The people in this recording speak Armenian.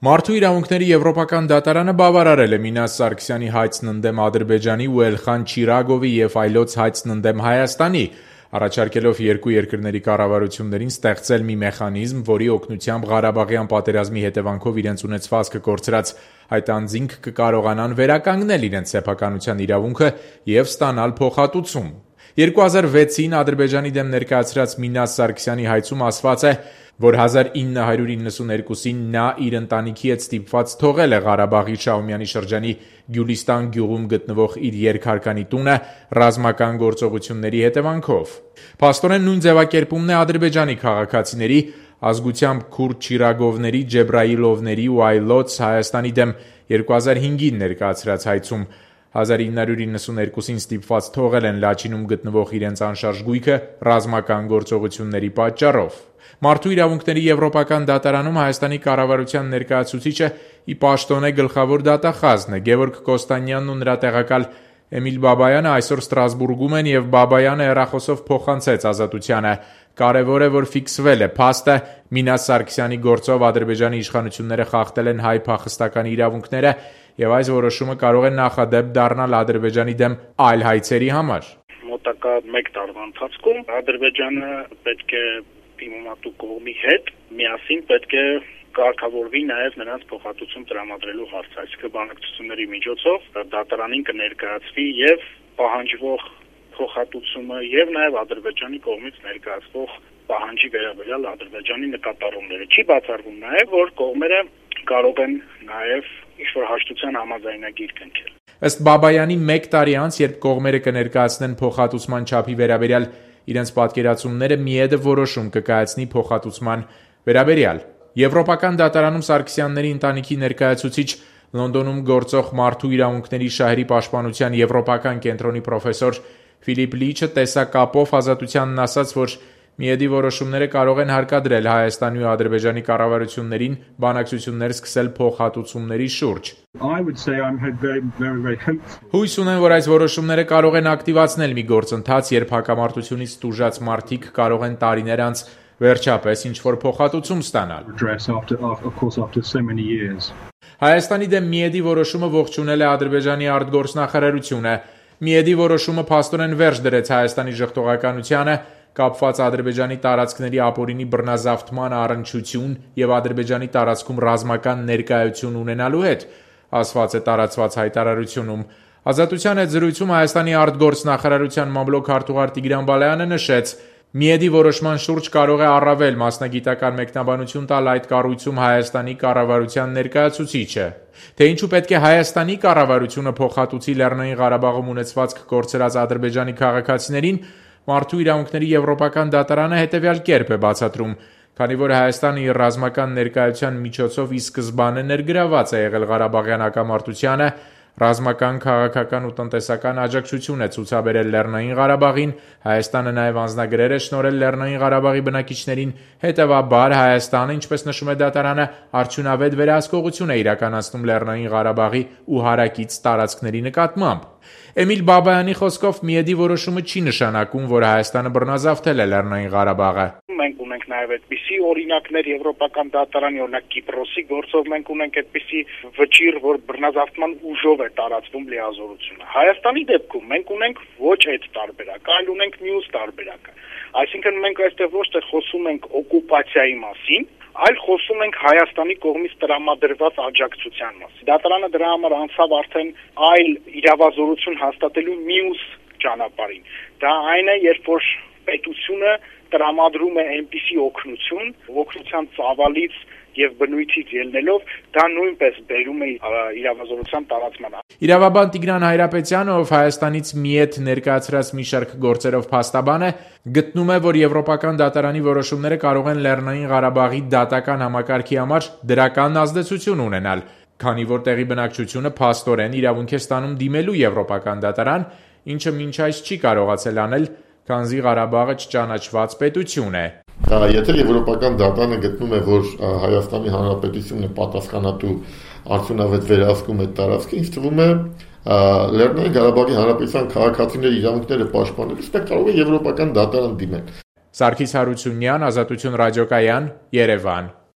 Մարդու իրավունքների եվրոպական դատարանը բավարարել է Մինաս Սարգսյանի հայցն ընդդեմ Ադրբեջանի ու Էլխան Չիրագովի և այլոց հայցն ընդդեմ Հայաստանի, առաջարկելով երկու երկրների կառավարություններին ստեղծել մի մեխանիզմ, որի օգնությամբ Ղարաբաղյան պատերազմի հետևանքով իրենց ունեցվածքը կորցրած այդ անձինք կկարողանան վերականգնել իրենց սեփականության իրավունքը և ստանալ փոխհատուցում։ 2006-ին Ադրբեջանի դեմ ներկայացրած Մինաս Սարգսյանի հայցում ասված է, որ 1992-ին նա իր ընտանիքի հետ ստիպված թողել է Ղարաբաղի Շահումյանի շրջանի Գյուլիստան գյուղում գտնվող իր երկհարկանի տունը ռազմական գործողությունների հետևանքով։ Փաստորեն նույն ձևակերպումն է Ադրբեջանի քաղաքացիների, ազգությամբ քուրդ Չիրագովների, Ջեբրայիլովների ու այլոց Հայաստանի դեմ 2005-ին ներկայացրած հայցում 1992-ին ստիպված թողել են Լաչինում գտնվող իրենց անշարժ գույքը ռազմական գործողությունների պատճառով։ Մարդու իրավունքների եվրոպական դատարանում Հայաստանի կառավարության ներկայացուցիչը ի պաշտոնե գլխավոր դատախազն է։ Գևորգ Կոստանյանն ու նրա տեղակալ Էմիլ Բաբայանը այսօր Ստրասբուրգում են և Բաբայանը հեռախոսով փոխանցեց Ազատությանը։ Կարևոր է, որ ֆիքսվել է փաստը՝ Մինաս Սարգսյանի գործով Ադրբեջանի իշխանությունները խախտել են հայ փախստականի իրավունքները և այս որոշումը կարող է նախադեպ դառնալ Ադրբեջանի դեմ այլ հայցերի համար։ Մոտակա 1 տարվա ընթացքում Ադրբեջանը պետք է դիմումատու կողմի հետ միասին պետք է կարգավորվի նաև նրանց փոխհատուցում տրամադրելու հարցը, այսինքն բանակցությունների միջոցով դատարանին կներկայացվի եւ պահանջվող փոխհատուցումը եւ նաև Ադրբեջանի կողմից ներկայացվող պահանջի վերաբերյալ Ադրբեջանի նկատառումները։ Չի բացառվում նաև, որ կողմերը կարող են նաև ինչ-որ հաշտության համաձայնագիր կնքել։ Ըստ Բաբայանի 1 տարի անց, երբ կողմերը կներկայացնեն փոխհատուցման չափի վերաբերյալ իրենց պատկերացումները, ՄԻԵԴ-ը որոշում կկայացնի փոխհատուցման վերաբերյալ։ Եվրոպական դատարանում Սարգսյանների ընտանիքի ներկայացուցիչ, Լոնդոնում գործող Մարդու իրավունքների շահերի պաշտպանության եվրոպական կենտրոնի պրոֆեսոր Ֆիլիպ Լիչը տեսակապով Ազատությանն ասաց, որ ՄԻԵԴ-ի որոշումները կարող են հարկադրել Հայաստանի ու Ադրբեջանի կառավարություններին բանակցություններ սկսել փոխհատուցումների շուրջ։ Հույս ունեմ, որ այս որոշումները կարող են ակտիվացնել մի գործընթաց, երբ հակամարտությունից տուժած մարդիկ կարող են տարիներ անց վերջապես ինչ-որ փոխհատուցում ստանալ։ Հայաստանի դեմ ՄԻԵԴ-ի որոշումը ողջունել է Ադրբեջանի արտգործնախարարությունը։ ՄԻԵԴ-ի որոշումը փաստորեն վերջ դրեց Հայաստանի ժխտողականությանը, կապված Ադրբեջանի տարածքների ապօրինի բռնազավթման առնչություն և Ադրբեջանի տարածքում ռազմական ներկայություն ունենալու հետ, ասված է տարածված հայտարարությունում։ Ազատության հետ զրույցում Հայաստանի արտգործնախարարության մամլոք քարտուղար Տիգրան Բալայանը նշեց. ՄԻԵԴ-ի որոշման շուրջ կարող է առավել մասնագիտական մեկնաբանություն տալ այդ կառույցում Հայաստանի կառավարության ներկայացուցիչը։ Թե ինչու պետք է Հայաստանի կառավարությունը փոխհատուցի Լեռնային Ղարաբաղում ունեցվածք կորցրած Ադրբեջանի քաղաքացիներին, Մարդու իրավունքների եվրոպական դատարանը հետևյալ կերպ է բացատրում։ Քանի որ Հայաստանը իր ռազմական ներկայության միջոցով ի սկզբանե ներգրավված է եղել Ղարաբաղյան հակամարտությանը, ռազմական, քաղաքական ու տնտեսական աջակցություն է ցուցաբերել Լեռնային Ղարաբաղին, Հայաստանը նաև անձնագրեր է շնորհել Լեռնային Ղարաբաղի բնակիչներին, հետևաբար Հայաստանը, ինչպես նշում է դատարանը, արդյունավետ վերահսկողություն է իրականացնում Լեռնային Ղարաբաղի ու հարակից տարածքների նկատմամբ։ Էմիլ Բաբայանի խոսքով ՄԻԵԴ-ի որոշումը չի նշանակում, որ Հայաստանը բռնազավթել է Լեռնային Ղարաբաղը։ Մենք ունենք նաև այդպիսի օրինակներ եվրոպական դատարանի, օրինակ Կիպրոսի գործով մենք ունենք այդպիսի վճիռ, որ բռնազավթման ուժով է տարածվում լիազորությունը։ Հայաստանի դեպքում մենք ունենք ոչ այդ տարբերակը, այլ ունենք մյուս տարբերակը։ Այսինքն մենք այստեղ ոչ թե խոսում ենք օկուպացիայի մասին, այլ խոսում ենք Հայաստանի կողմից տրամադրված աջակցության մասին։ Դատարանը դրա համար անցավ արդեն այլ իրավազորություն հաստատելու մյուս ճանապարհին։ Դա այն է, երբ որ պետությունը տրամադրում է այնպիսի օգնության ծավալից եւ բնույթից ելնելով, դա նույնպես բերում է իրավազորության տարածմանը։ Իրավաբան Տիգրան Հայրապետյանը, ով Հայաստանից ՄԻԵԴ ներկայացրած մի շարք գործերով փաստաբան է, գտնում է, որ եվրոպական դատարանի որոշումները կարող են Լեռնային Ղարաբաղի դատական համակարգի համար դրական ազդեցություն ունենալ, քանի որ տեղի բնակչությունը փաստորեն իրավունք է ստանում դիմելու եվրոպական դատարան, ինչը մինչ այս չի կարողացել անել, քանզի Ղարաբաղը չճանաչված պետություն է։ Եթե եվրոպական դատարանը գտնում է, որ Հայաստանի Հանրապետությունն է պատասխանատու արդյունավետ վերահսկում այդ տարածքը, ինձ թվում է Լեռնային Ղարաբաղի Հանրապետության քաղաքացիների իրավունքները պաշտպանելուց պետք կարող է եվրոպական դատարան դիմել։ Սարգիս Հարությունյան, Ազատություն ռադիոկայան, Երևան։